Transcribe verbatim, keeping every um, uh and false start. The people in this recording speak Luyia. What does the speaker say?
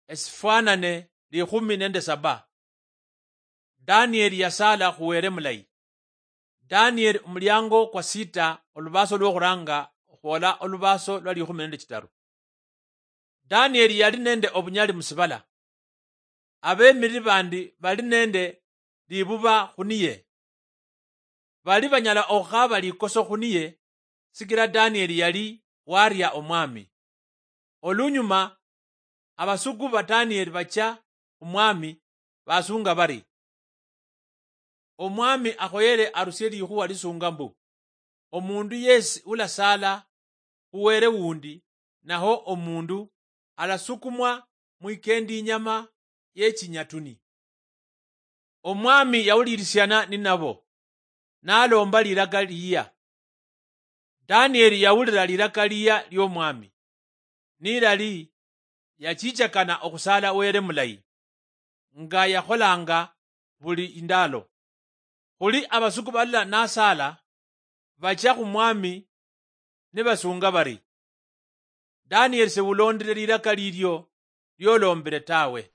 Esifwanane likhumi nende saba. Danieli yasaala khu Wele mulayi. Danieli omuliango kwa sita, olubaso lwokhuranga okhwola olubaso lwa likhumi nende chitaru. Danieli yali nende obunyali musibala. Abemiriri bandi bali nende libuba khuniye. Bali banyala okhukhaba likoso khuniye, sikila Danieli yali waria omwami. Olunyuma, abasuku ba Danieli bachia khumwami, basunga bari, "Omwami akhoyele arusie likhuwa lisunga mbu, omundu yesi ulasaala khu wele wundi, naho omundu alasukumwa mwikendi inyama yechinyatuni." Omwami yawulirisiana ninabo, nalomba lilaka liya. Danieli yawulira lilaka liya liomwami, nilali yachichakana okhusala Wele mulayi, nga yakholanga buli indalo. Khuli abasuku balala nasaala, bachia khumwami nibasunga bari, "Danieli sewulondile lilaka lilio liolombile tawe."